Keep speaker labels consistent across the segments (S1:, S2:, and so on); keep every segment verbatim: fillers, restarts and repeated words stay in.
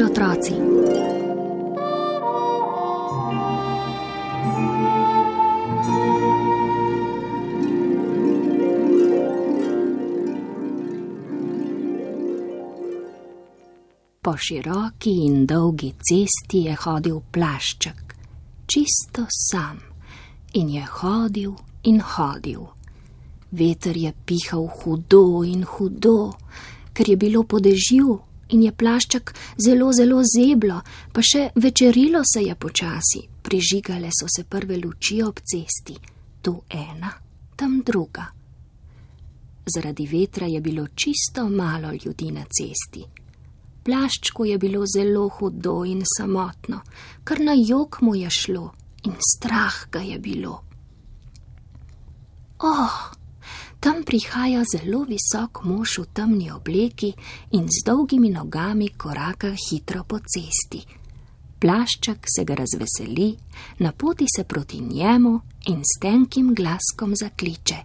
S1: otroci. Po široki in dolgi cesti je hodil Plašček, čisto sam, in je hodil in hodil. Veter je pihal hudo in hudo, ker je bilo po dežju in je Plašček zelo, zelo zeblo, pa še večerilo se je počasi, prižigale so se prve luči ob cesti, tu ena, tam druga. Zaradi vetra je bilo čisto malo ljudi na cesti. Plaščku je bilo zelo hudo in samotno, kar na jok mu je šlo in strah ga je bilo. Oh, tam prihaja zelo visok mož v temni obleki in z dolgimi nogami koraka hitro po cesti. Plašček se ga razveseli, napoti se proti njemu in s tenkim glaskom zakliče.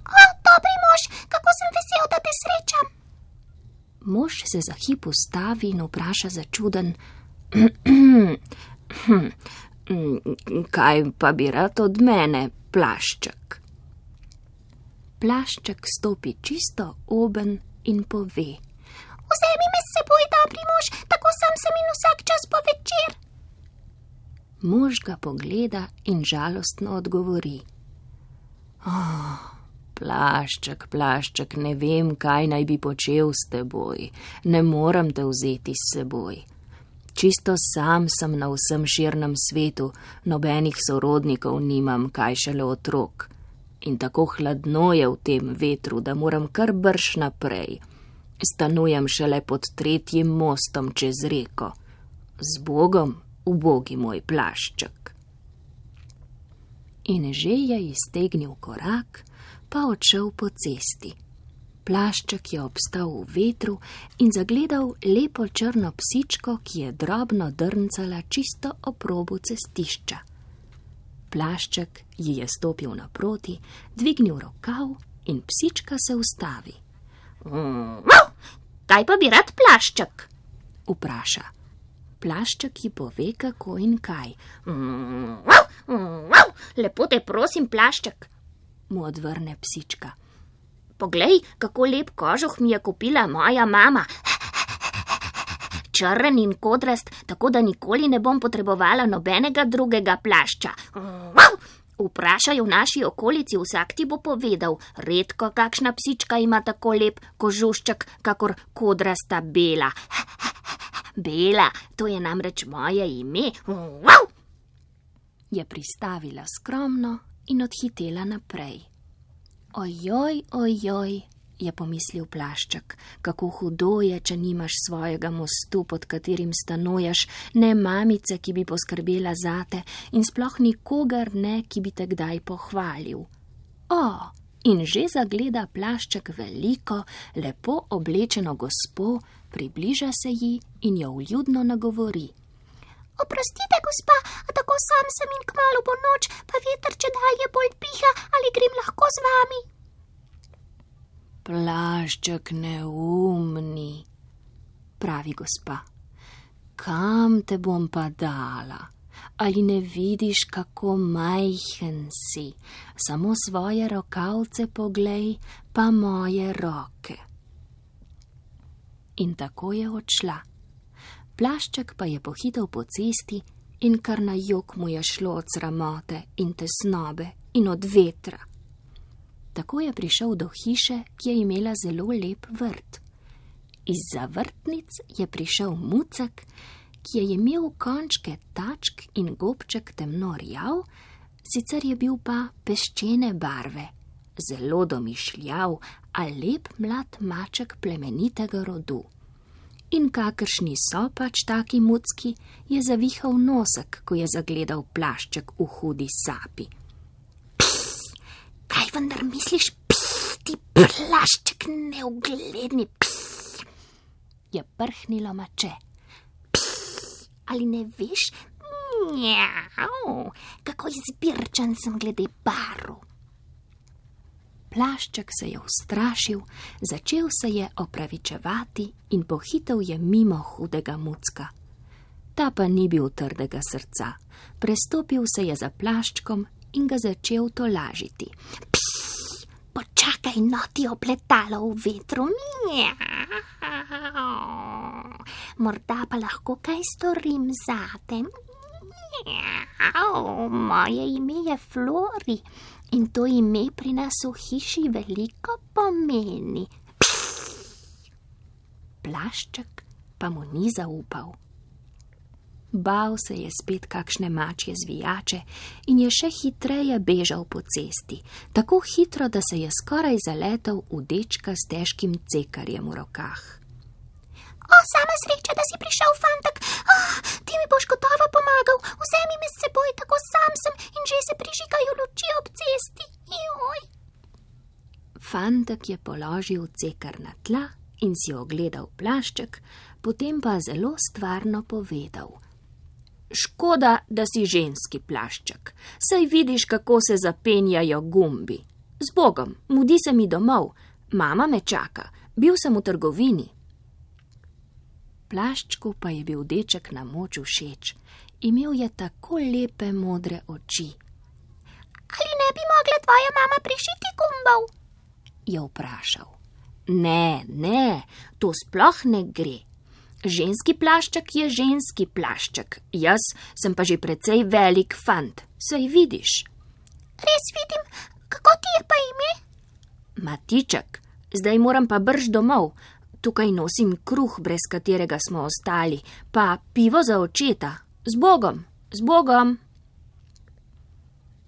S1: O, dobri mož, kako sem vesel, da te srečam. Mož se za hip ustavi in vpraša začuden. Kaj pa bi rad od mene, Plašček? Plašček stopi čisto oben in pove. Vzemi me s seboj, dobri mož, tako sam sem in vsak čas po večer. Mož ga pogleda in žalostno odgovori. Oh, Plašček, Plašček, ne vem, kaj naj bi počel s teboj. Ne moram te vzeti s seboj. Čisto sam sem na vsem širnem svetu, nobenih sorodnikov nimam, kaj šele otrok. In tako hladno je v tem vetru, da moram kar brž naprej. Stanujem šele pod tretjim mostom čez reko. Z Bogom, ubogi moj Plašček. In že je iztegnil korak, pa odšel po cesti. Plašček je obstal v vetru in zagledal lepo črno psičko, ki je drobno drncala čisto ob robu cestišča. Plašček ji je stopil naproti, dvignil rokav in psička se ustavi. Kaj pa bi rad, Plašček? Vpraša. Plašček ji pove, kako in kaj. Lepo te prosim, Plašček, mu odvrne psička. Poglej, kako lep kožuh mi je kupila moja mama. Črn in kodrast, tako da nikoli ne bom potrebovala nobenega drugega plašča. Vprašaj v naši okolici, vsak ti bo povedal, redko kakšna psička ima tako lep kožušček, kakor kodrasta Bela. Bela, to je namreč moje ime. Je pristavila skromno in odhitela naprej. Ojoj, ojoj, je pomislil Plašček, kako hudo je, če nimaš svojega mostu, pod katerim stanuješ, ne mamice, ki bi poskrbela zate in sploh nikogar ne, ki bi te kdaj pohvalil. O, in že zagleda Plašček veliko, lepo oblečeno gospo, približa se ji in jo vljudno nagovori. Oprostite, gospa, a tako sam sem in kmalu bo noč, pa veter čedalje bolj piha, ali grem lahko z vami? Plašček neumni, pravi gospa. Kam te bom pa dala? Ali ne vidiš, kako majhen si? Samo svoje rokavce poglej, pa moje roke. In tako je odšla. Plašček pa je pohitel po cesti in kar na jok mu je šlo od sramote in tesnobe in od vetra. Tako je prišel do hiše, ki je imela zelo lep vrt. Izza vrtnic je prišel mucek, ki je imel končke tačk in gobček temno rjav, sicer je bil pa peščene barve, zelo domišljav, a lep mlad maček plemenitega rodu. In kakršni so pač taki mucki, je zavihal nosek, ko je zagledal Plašček v hudi sapi. Pss, kaj vendar misliš, pss, ti Plašček neugledni, pss, je prhnilo mače. Pss, ali ne veš, njau, kako izbirčen sem glede barv. Plašček se je ustrašil, začel se je opravičevati in pohitel je mimo hudega mucka. Ta pa ni bil trdega srca. Prestopil se je za plaščkom in ga začel tolažiti.
S2: Psst, počakaj, no, ti opletalo v vetru. Morda pa lahko kaj storim zate. Moje ime je Flori in to ime pri nas v hiši veliko pomeni.
S1: Plašček pa mu ni zaupal. Bal se je spet kakšne mačje zvijače in je še hitreje bežal po cesti, tako hitro, da se je skoraj zaletel v dečka s težkim cekarjem v rokah.
S2: O, sama sreča, da si prišel, fantek. Oh, ti mi boš gotovo pomagal. Vzemi me s seboj, tako sam sem in že se prižigajo luči ob cesti. Joj.
S1: Fantek je položil cekar na tla in si ogledal plašček, potem pa zelo stvarno povedal. Škoda, da si ženski plašček. Saj vidiš, kako se zapenjajo gumbi. Z Bogom, mudi se mi domov. Mama me čaka. Bil sem v trgovini. Plaščku pa je bil deček na moč všeč. Imel je tako lepe modre oči.
S2: Ali ne bi mogla tvoja mama prišiti gumbov?
S1: Je vprašal. Ne, ne, to sploh ne gre. Ženski plašček je ženski plašček, jaz sem pa že precej velik fant, saj vidiš.
S2: Res vidim, kako ti je pa ime?
S1: Matiček, zdaj moram pa brž domov, tukaj nosim kruh, brez katerega smo ostali, pa pivo za očeta, z Bogom, z Bogom.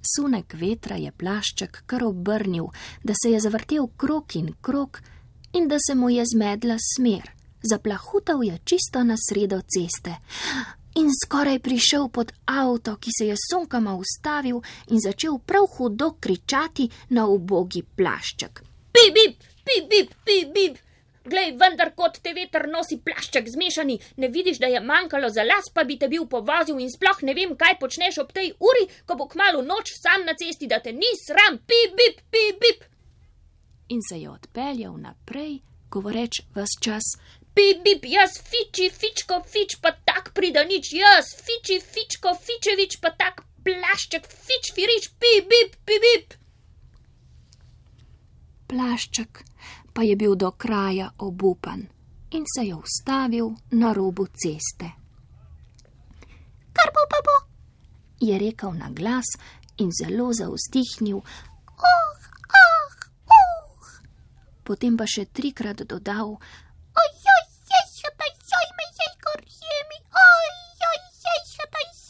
S1: Sunek vetra je plašček kar obrnil, da se je zavrtel krog in krog in da se mu je zmedla smer. Zaplahutal je čisto na sredo ceste in skoraj prišel pod avto, ki se je sunkama ustavil in začel prav hudo kričati na ubogi plašček.
S3: Pip, bip, pip, bip, pip, bip. Glej, vendar kot te veter nosi plašček zmešani, ne vidiš, da je manjkalo za las, pa bi te bil povozil in sploh ne vem, kaj počneš ob tej uri, ko bo kmalu noč sam na cesti, da te ni sram, pip, bip, pip, bip.
S1: In se je odpeljal naprej, govoreč ves čas.
S3: Pip, bip, jaz fiči, fičko, fič, pa tak pridanič, jaz fiči, fičko, fičevič, pa tak plašček, fič, firič, pip, bip, pip, bip.
S1: Plašček pa je bil do kraja obupan in se je ustavil na robu ceste.
S2: Kar bo pa bo,
S1: je rekel na glas in zelo zavzdihnil.
S2: Oh, ah, uh.
S1: Potem pa še trikrat dodal.
S2: Oj, oj, jej, joj, joj, me jej, gorjemi, oj, oj, jej,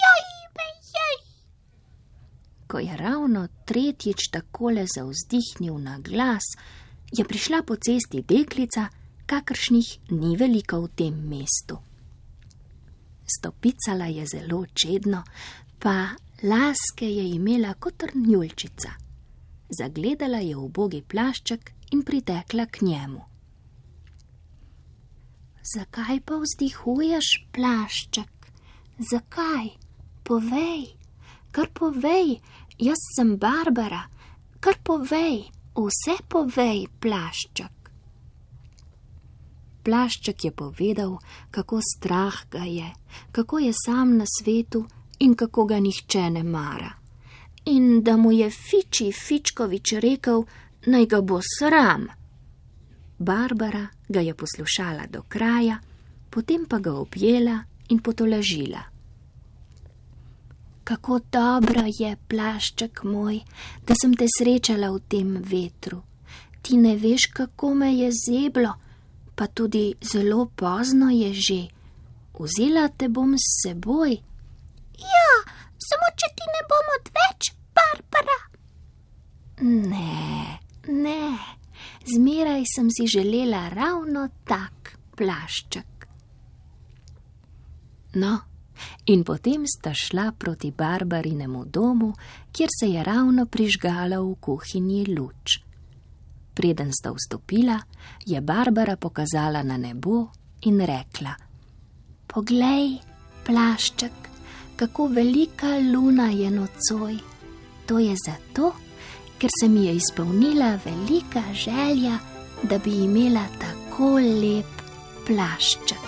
S2: joj, me jej.
S1: Ko je ravno tretjič takole zavzdihnil na glas, je prišla po cesti deklica, kakršnih ni veliko v tem mestu. Stopicala je zelo čedno, pa laske je imela kot trnjulčica. Zagledala je ubogi plašček in pritekla k njemu. Zakaj pa vzdihuješ, plašček? Zakaj? Povej, kar povej, jaz sem Barbara, kar povej, vse povej, plašček. Plašček je povedal, kako strah ga je, kako je sam na svetu in kako ga nihče ne mara. In da mu je Fiči Fičkovič rekel, naj ga bo sram. Barbara ga je poslušala do kraja, potem pa ga objela in potolažila. Kako dobro je, plašček moj, da sem te srečala v tem vetru. Ti ne veš, kako me je zeblo, pa tudi zelo pozno je že. Vzela te bom s seboj.
S2: Ja, samo če ti ne bom odveč, Barbara.
S1: Ne, ne, zmeraj sem si želela ravno tak plašček. No, in potem sta šla proti Barbarinemu domu, kjer se je ravno prižgala v kuhinji luč. Preden sta vstopila, je Barbara pokazala na nebo in rekla: Poglej, plašček, kako velika luna je nocoj. To je zato, ker se mi je izpolnila velika želja, da bi imela tako lep plašček.